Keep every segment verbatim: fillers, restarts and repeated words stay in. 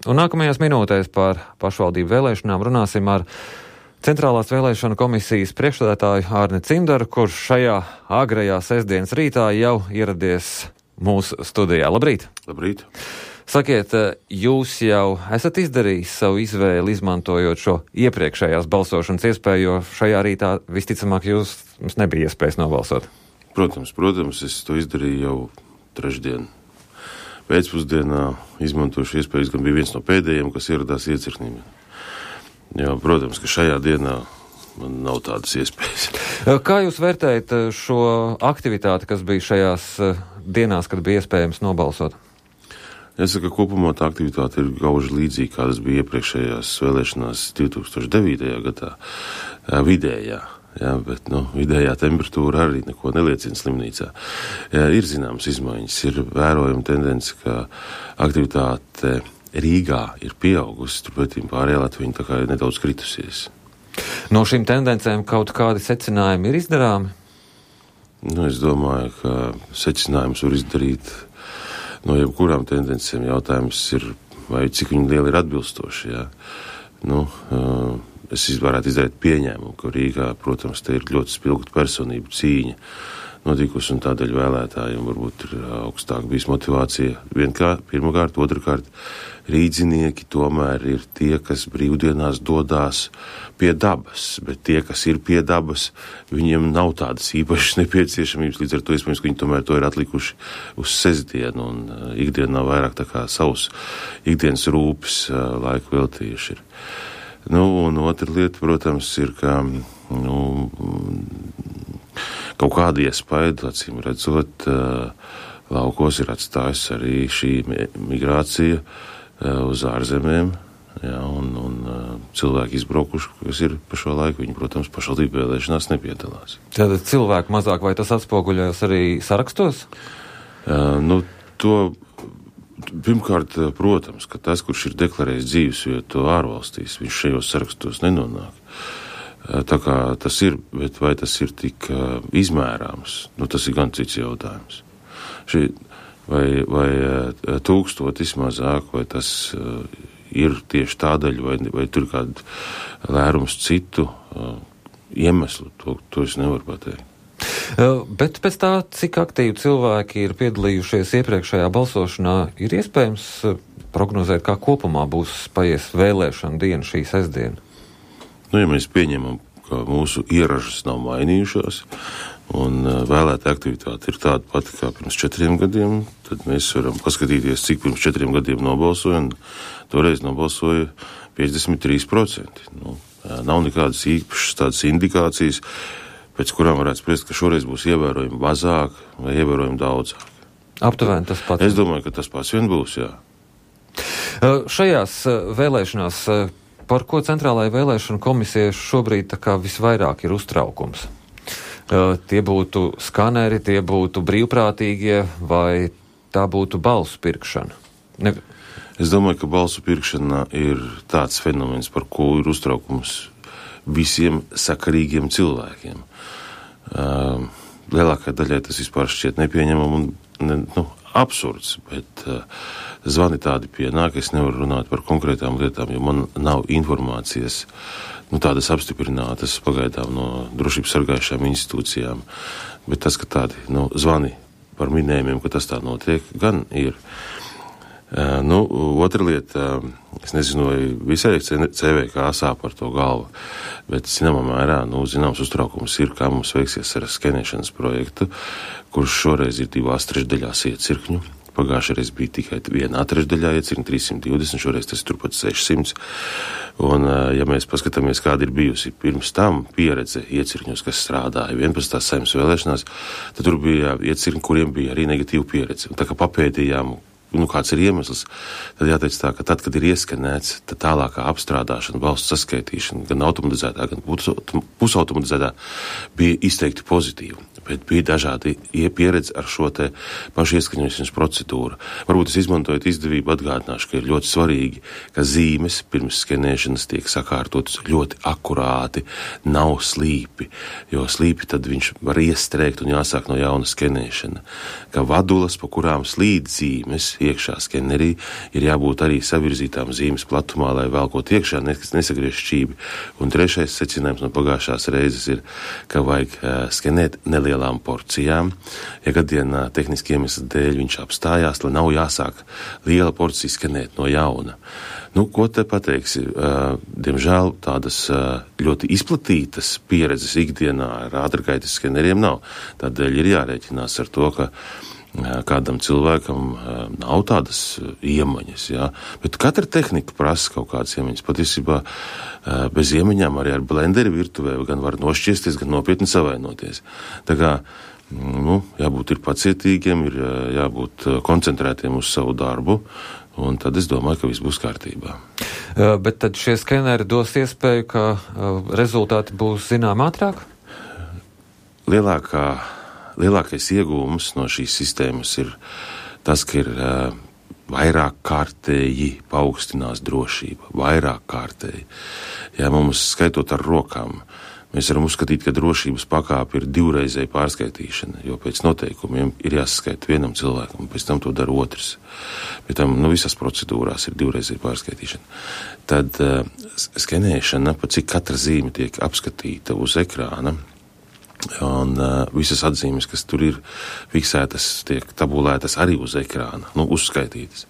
Un nākamajās minūtēs par pašvaldību vēlēšanām runāsim ar Centrālās vēlēšanu komisijas priekšsēdētāju Ārni Cimdaru, kurš šajā agrajā sestdienas rītā jau ieradies mūsu studijā. Labrīt! Labrīt! Sakiet, jūs jau esat izdarījis savu izvēli, izmantojot šo iepriekšējās balsošanas iespēju, jo šajā rītā visticamāk jūs, jums nebija iespējas nobalsot? Protams, protams, es to izdarīju jau trešdien. Pēcpusdienā izmantošu iespējas, gan bija viens no pēdējiem, kas ieradās iecirknī. Jā, protams, ka šajā dienā man nav tādas iespējas. Kā jūs vērtējat šo aktivitāti, kas bija šajās dienās, kad bija iespējams nobalsot? Jāsaka, kopumā tā aktivitāte ir gauži līdzīga, kādas bija iepriekšējās vēlēšanās divi tūkstoši devītajā gadā, vidējā. Jā, bet, nu, vidējā temperatūra arī neko neliecina slimnīcā. Jā, ir zināmas izmaiņas, ir vērojama tendence, ka aktivitāte Rīgā ir pieaugusi, turpretī pārējā Latvija tā kā ir nedaudz kritusies. No šīm tendencēm kaut kādi secinājumi ir izdarāmi? Nu, es domāju, ka secinājums var izdarīt no jebkurām tendencēm. Jautājums ir, vai cik viņi lieli ir atbilstoši, jā. Nu, uh, Es varētu izdarīt pieņēmumu, ka Rīgā, protams, te ir ļoti spilgta personību cīņa notikusi, un tādēļ vēlētājiem varbūt ir augstāk bijis motivācija. Vienkārt, pirmkārt, otrkārt, rīdzinieki tomēr ir tie, kas brīvdienās dodās pie dabas, bet tie, kas ir pie dabas, viņiem nav tādas īpašas nepieciešamības, līdz ar to iespējams, ka viņi tomēr to ir atlikuši uz sestdienu, un ikdienā vairāk tā kā savus ikdienas rūpes laiku veltījuši ir. Nu, un otra lieta, protams, ir, ka nu, kaut kāda iespēja, acīm redzot, laukos ir atstājis arī šī migrācija uz ārzemēm, jā, un, un cilvēki izbraukuši, kas ir pa šo laiku, viņi, protams, pašvaldību vēlēšanās nepiedalās. Tātad cilvēku mazāk, vai tas atspoguļojas arī sarakstos? Uh, nu, to Pirmkārt, protams, ka tas, kurš ir deklarējis dzīvesvietu ārvalstīs, viņš šajos sarakstos nenonāk. Tā kā tas ir, bet vai tas ir tik izmērāms, nu tas ir gan cits jautājums. Šī, vai, vai tūkstotis mazāk, vai tas ir tieši tādēļ, vai, vai tur kādu lērums citu iemeslu, to, to es nevaru pateikt. Bet pēc tā, cik aktīvi cilvēki ir piedalījušies iepriekšējā balsošanā, ir iespējams prognozēt, kā kopumā būs paies vēlēšana diena šī sestdiena? Nu, ja mēs pieņemam, ka mūsu ieražas nav mainījušās, un vēlēta aktivitāte ir tāda pati kā pirms četriem gadiem, tad mēs varam paskatīties, cik pirms četriem gadiem nobalsoja, un toreiz nobalsoja piecdesmit trīs procenti. Nu, nav nekādas īpašas tādas indikācijas, pēc kurām varētu spriest, ka šoreiz būs ievērojami mazāk vai ievērojami daudzāk. Aptuveni tas pats. Es domāju, ka tas pats vien būs, jā. Šajās vēlēšanās, par ko Centrālajai vēlēšanu komisijai šobrīd tā kā visvairāk ir uztraukums? Tie būtu skaneri, tie būtu brīvprātīgie, vai tā būtu balsu pirkšana? Ne... Es domāju, ka balsu pirkšana ir tāds fenomens, par ko ir uztraukums visiem sakarīgiem cilvēkiem. Uh, lielākai daļai tas vispār šķiet nepieņemam un ne, nu, absurds, bet uh, zvani tādi pienāk, es nevaru runāt par konkrētām lietām, jo man nav informācijas, nu, tādas apstiprinātas pagaidām no drošības sargājušām institūcijām, bet tas, ka tādi, nu, zvani par minējumiem, ka tas tā notiek, gan ir. Uh, nu, otra lieta, uh, es nezinu, vai visai C V K sāp par to galvu, bet zināmā mērā, nu, zināms uztraukums ir, kā mums veiksies ar skenēšanas projektu, kurš šoreiz ir divās trešdaļās iecirkņu. Pagājušajā bija tikai vienā trešdaļā iecirkņu, trīs simt divdesmit, šoreiz tas turpat sešsimt. Un, uh, ja mēs paskatāmies, kāda ir bijusi pirms tam pieredze iecirkņos, kas strādāja vienpadsmitās Saeimas vēlēšanās, tad tur bija iecirkņi, kuriem bija arī negatīva pieredze. Un tā kā papētījām, nu, kāds ir iemesls, tad jāteic tā, ka tad, kad ir ieskanēts, tad tālākā apstrādāšana, balsu saskaitīšana, gan automatizētā, gan pusautomatizētā, bija izteikti pozitīva. Bet bija dažādi pieredze ar šo te pašu ieskaņošanas procedūru. Varbūt es izmantojot izdevību atgādināšu, ka ir ļoti svarīgi, ka zīmes pirms skenēšanas tiek sakārtotas ļoti akurāti, nav slīpi, jo slīpi tad viņš var iestrēgt un jāsāk no jauna skenēšana. Ka vadulas, pa kurām slīd zīmes, iekšā skenerī, ir jābūt arī savirzītām zīmes platumā, lai velkot iekšā nesagriež šķībi. Un trešais secinājums no pagājušās reizes ir, ka vajag skenēt nelielām porcijām. Ja gadienā tehniski iemesli dēļ viņš apstājās, lai nav jāsāk liela porcija skenēt no jauna. Nu, ko te pateiksi? Diemžēl tādas ļoti izplatītas pieredzes ikdienā ar ātrgaitas skeneriem nav. Tādēļ ir jārēķinās ar to, ka kādam cilvēkam nav tādas iemaņas, jā. Bet katra tehnika prasa kaut kādas iemaņas. Patiesībā bez iemaņām arī ar blenderi virtuvē gan var nošķiesties, gan nopietni savainoties. Tā kā, nu, jābūt ir pacietīgiem, ir jābūt koncentrētiem uz savu darbu, un tad es domāju, ka viss būs kārtībā. Bet tad šie skeneri dos iespēju, ka rezultāti būs zinām ātrāk? Lielākā, lielākais iegūms no šīs sistēmas ir tas, ka ir vairāk kārtēji paaugstinās drošība, vairāk kārtēji. Ja mums skaitot ar rokām, mēs varam uzskatīt, ka drošības pakāpe ir divreizēja pārskaitīšana, jo pēc noteikumiem ir jāsaskaita vienam cilvēkam, un pēc tam to dara otrs. Pēc tam, nu, visās procedūrās ir divreizēja pārskaitīšana. Tad uh, skenēšana, pa cik katra zīme tiek apskatīta uz ekrāna, un uh, visas atzīmes, kas tur ir fiksētas, tiek tabulētas arī uz ekrāna, nu, uzskaitītas.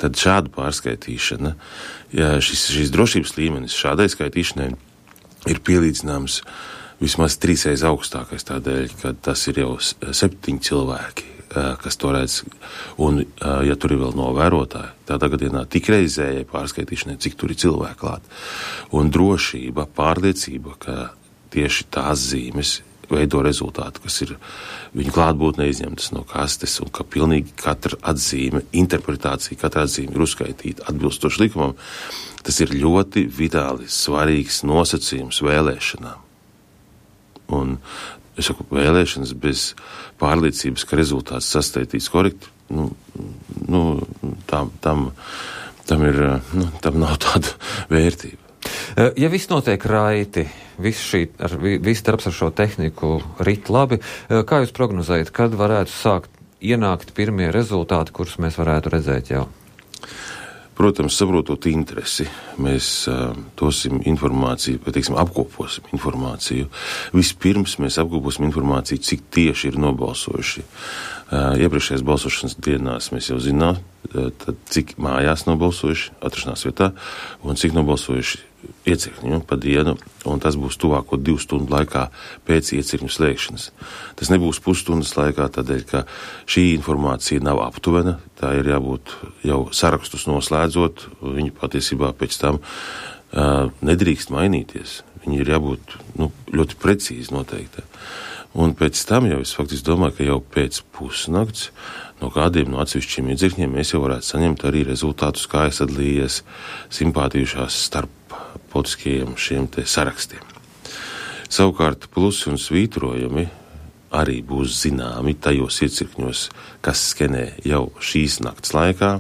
Tad šāda pārskaitīšana, ja šis, šis drošības līmenis šādai skaitīšanai ir pielīdzināms vismaz trīsreiz augstākais tādēļ, ka tas ir jau septiņi cilvēki, kas to redz, un ja tur ir vēl novērotāji, tādā gadienā tik reizējai pārskaitīšanai, cik tur ir cilvēki klāt. Un drošība, pārliecība, ka tieši tās zīmes veido rezultātu, kas ir viņa klātbūtnē izņemtas no kastes, un ka pilnīgi katra atzīme, interpretācija, katra atzīme ir uzskaitīta atbilstoši likumam, tas ir ļoti vitāli svarīgs nosacījums vēlēšanām. Un, es saku, vēlēšanas bez pārliecības, ka rezultāts sastaitīts korekti, nu, nu tam, tam, tam ir, nu, tam nav tāda vērtība. Ja viss notiek raiti, viss šī, ar, viss darbs ar šo tehniku rit labi, kā jūs prognozējat, kad varētu sākt ienākt pirmie rezultāti, kurus mēs varētu redzēt jau? Protams, saprotot interesi, mēs uh, dosim informāciju, vai, teiksim, apkoposim informāciju. Vispirms mēs apkoposim informāciju, cik tieši ir nobalsojuši. Uh, iepriekšējās balsošanas dienās mēs jau zinām, uh, tad cik mājās nobalsojuši, atrašanās vietā, un cik nobalsojuši iecirkņu pa dienu, un tas būs tuvāko divu stundu laikā pēc iecirkņu slēgšanas. Tas nebūs pusstundas laikā, tādēļ, ka šī informācija nav aptuvena, tā ir jābūt jau sarakstus noslēdzot, viņi patiesībā pēc tam uh, nedrīkst mainīties. Viņi ir jābūt, nu, ļoti precīzi noteikti. Un pēc tam jau es faktiski domāju, ka jau pēc pusnakts no kādiem no atsevišķiem iedzirkņiem mēs jau varētu saņemt arī rezultātus, kā es atlījies simpātījušās starp politiskajiem šiem te sarakstiem. Savukārt plusi un svītrojumi arī būs zināmi tajos iecirkņos, kas skenē jau šīs nakts laikā,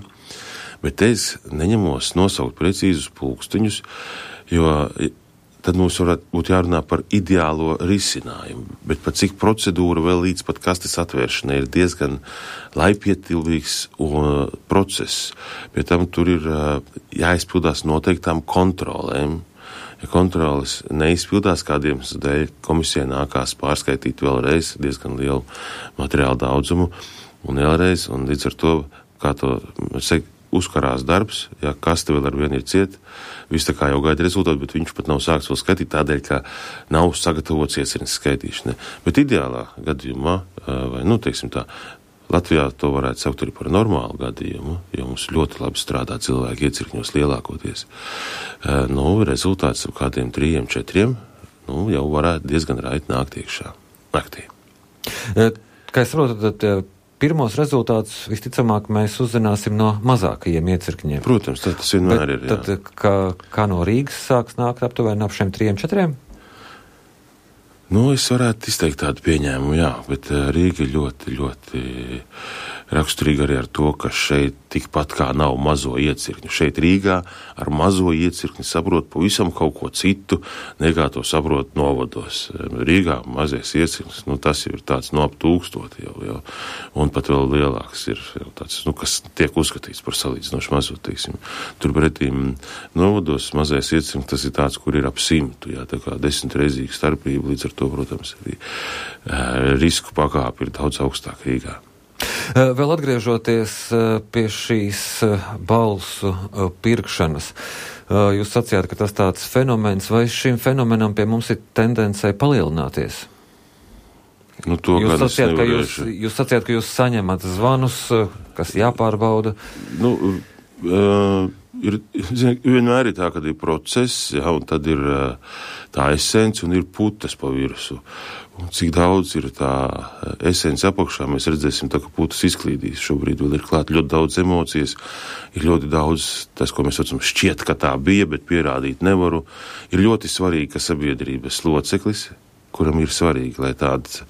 bet es neņemos nosaukt precīzus pulksteņus, jo tad mums varētu būt jārunā par ideālo risinājumu, bet pat cik procedūra vēl līdz pat kastes atvēršanai ir diezgan laikietilvīgs process. Pie tam tur ir jāizpildās noteiktām kontrolēm. Ja kontroles neizpildās kādiem dēļ, komisijai nākās pārskaitīt vēlreiz diezgan lielu materiālu daudzumu un vēlreiz, un līdz ar to, kā to saka, uzkarās darbs, ja kaste vēl ar vienu ir cieta, viss tā kā jau gaida rezultātu, bet viņš pat nav sāks vēl skatīt tādēļ, ka nav sagatavots iecirknis skaitīšanai. Bet ideālā gadījumā, vai, nu, teiksim tā, Latvijā to varētu saukt arī par normālu gadījumu, jo mums ļoti labi strādā cilvēki iecirkņos lielākoties. Nu, rezultāts ar kādiem trījiem, četriem, nu, jau varētu diezgan raiti nākt iekšā naktī. Kā es saprotu, tad pirmos rezultātus visticamāk mēs uzzināsim no mazākajiem iecirkņiem. Protams, tad tas vienmēr ir, jā. Tad kā, kā no Rīgas sāks nākt aptuveni ap šiem trījiem, četriem? Nu, es varētu izteikt tādu pieņēmumu, jā, bet Rīga ir ļoti, ļoti raksturīgi arī ar to, ka šeit tikpat kā nav mazo iecirkņu. Šeit Rīgā ar mazo iecirkņu saprot pavisam kaut ko citu, nekā to saprot novados. Rīgā mazais iecirknis, nu tas jau ir tāds no ap tūkstoti jau, jau, un pat vēl lielāks ir jau tāds, nu, kas tiek uzskatīts par salīdzinoši mazo, teiksim. Turpretīm novados mazais iecirknis, tas ir tāds, kur ir ap simtu, jā, tā kā desmitreizīga starpība, līdz ar to, protams, arī uh, risku pakāpi ir daudz augstāk Rīgā. Vēl atgriežoties pie šīs balsu pirkšanas, jūs sacījāt, ka tas tāds fenomens, vai šim fenomenam pie mums ir tendencei palielināties? Nu, to, jūs, sacījāt, ka jūs, jūs sacījāt, ka jūs saņemat zvanus, kas jāpārbauda? Nu, uh, ir, zin, vienmēr ir tā, kad ir process, jā, un tad ir uh, tā esence un ir putas pa virsu. Un cik daudz ir tā esence apakšā, mēs redzēsim, tā, ka putas izklīdīs. Šobrīd vēl ir klāt ļoti daudz emocijas, ir ļoti daudz tas, ko mēs saucam, šķiet, ka tā bija, bet pierādīt nevaru. Ir ļoti svarīgi, ka sabiedrības loceklis, kuram ir svarīgi, lai tādas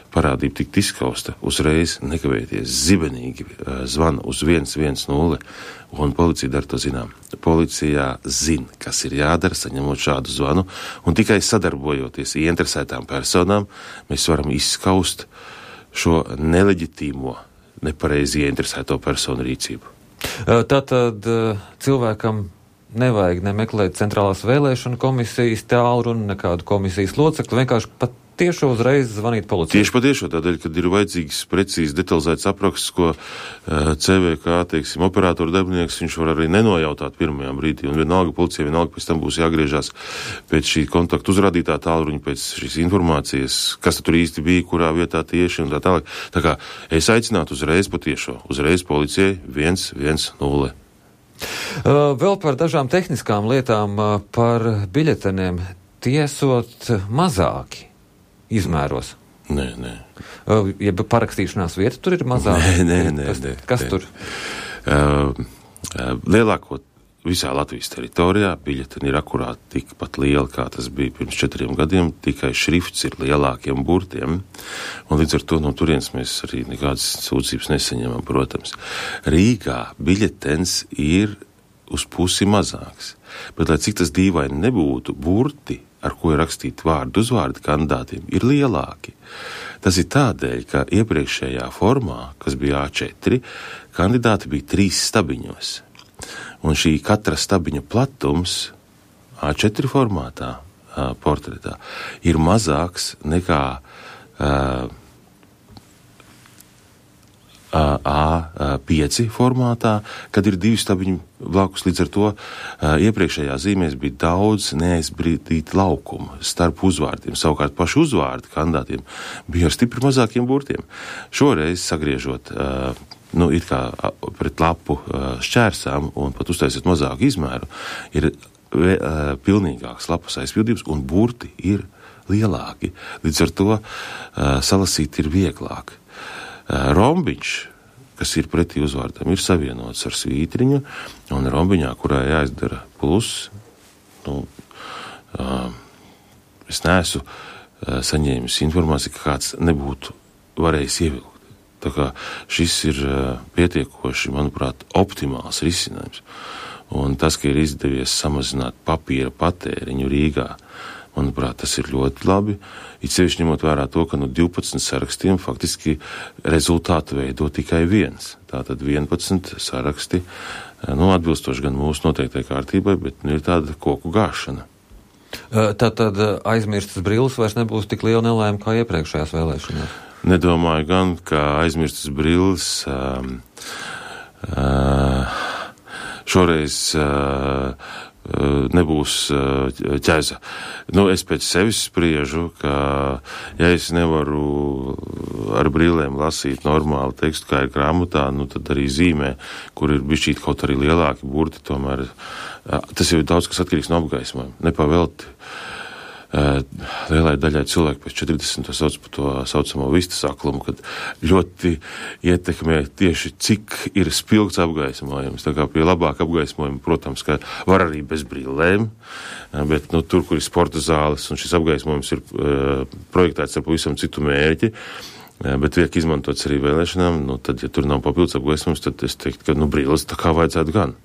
parādība tikt izskausta, uzreiz nekavēties zibenīgi zvana uz viens viens nulle, un policija dara to zinām. Policijā zina, kas ir jādara, saņemot šādu zvanu, un tikai sadarbojoties ieinteresētām personām, mēs varam izskaust šo neleģitīmo, nepareizi ieinteresēto personu rīcību. Tātad cilvēkam nevajag nemeklēt centrālās vēlēšana komisijas tālruni, nekādu komisijas locekli, vienkārši pat tiešo uzreiz zvanīt policijai. Tieši patiešo tādēļ, kad ir vajadzīgs precīzi detalizēts apraksts, ko uh, C V K, teiksim, operātoru darbinieks, viņš var arī nenojautāt pirmajā brīdī, un vienalga policija, vienalga pēc tam būs jāgriežās pēc šī kontaktu uzrādītā tālruņa, pēc šīs informācijas, kas tur īsti bija, kurā vietā tieši un tā tālāk. Tā kā es aicinātu uzreiz patiešo, uzreiz policijai viens viens nulle. Uh, vēl par dažām tehniskām lietām, uh, par biļeteniem tiesot mazāki izmēros. Nē, nē. Uh, ja parakstīšanās vieta tur ir mazāka? Nē, nē, nē. Kas, nē, kas nē. tur? Uh, uh, lielāko visā Latvijas teritorijā biļeteni ir akurāti tikpat lieli, kā tas bija pirms četriem gadiem, tikai šrifts ir lielākiem burtiem, un līdz ar to no turienes mēs arī nekādas sūdzības nesaņemam, protams. Rīgā biļetens ir uz pusi mazāks, bet lai cik tas dīvaini nebūtu, burti, ar ko ir rakstīti vārdu uzvārdi kandidātiem, ir lielāki. Tas ir tādēļ, ka iepriekšējā formā, kas bija A četri, kandidāti bija trīs stabiņos. Un šī katra stabiņa platums A četri formātā, portretā, ir mazāks nekā uh, A pieci formātā, kad ir divi stabiņi blakus. Līdz ar to uh, iepriekšējā zīmēs bija daudz neaizbrīdīt laukumu starp uzvārdiem. Savukārt paši uzvārdi kandidātiem bija ar stipri mazākiem burtiem. Šoreiz sagriežot uh, nu, it kā pret lapu uh, šķērsām un pat uztaisot mazāku izmēru, ir uh, pilnīgāks lapas aizpildījums un burti ir lielāki. Līdz ar to uh, salasīt ir vieglāk. Rombiņš, kas ir pretī uzvārdam, ir savienots ar svītriņu, un rombiņā, kurā jāizdara plus, nu, uh, es neesmu uh, saņēmis informāciju, ka kāds nebūtu varējis ievilkt. Tā kā šis ir uh, pietiekoši, manuprāt, optimāls risinājums. Un tas, ka ir izdevies samazināt papīra patēriņu Rīgā, manuprāt, tas ir ļoti labi. It sevišķi ņemot vērā to, ka no divpadsmit sarakstiem faktiski rezultātu veido tikai viens. Tātad vienpadsmit saraksti, nu, atbilstoši gan mūsu noteiktai kārtībai, bet nu, ir tāda koku gāšana. Tātad aizmirstas brilles vairs nebūs tik liela nelēma kā iepriekšējās vēlēšanās? Nedomāju gan, ka aizmirstas brilles um, uh, šoreiz uh, nebūs ķēza. Nu, es pēc sevis spriežu, ka ja es nevaru ar brillēm lasīt normālu tekstu, kā ir grāmatā, nu tad arī zīmē, kur ir bišķīt kaut arī lielāki burti, tomēr tas jau ir daudz, kas atkarīgs no apgaismojuma. Nepavelti. Lielai daļai cilvēku pēc četrdesmit to sauc par to saucamo vistas aklumu, kad ļoti ietekmē tieši cik ir spilgts apgaismojums. Tā kā pie labāka apgaismojuma, protams, ka var arī bez brillēm, bet nu, tur, kur ir sporta zāles un šis apgaismojums ir uh, projektēts ar pavisam citu mērķi, Bet tiek izmantots arī vēlēšanām, nu, tad, ja tur nav papildus apgaismojums, tad es teiktu, ka, nu, brīlis tā kā vajadzētu gan.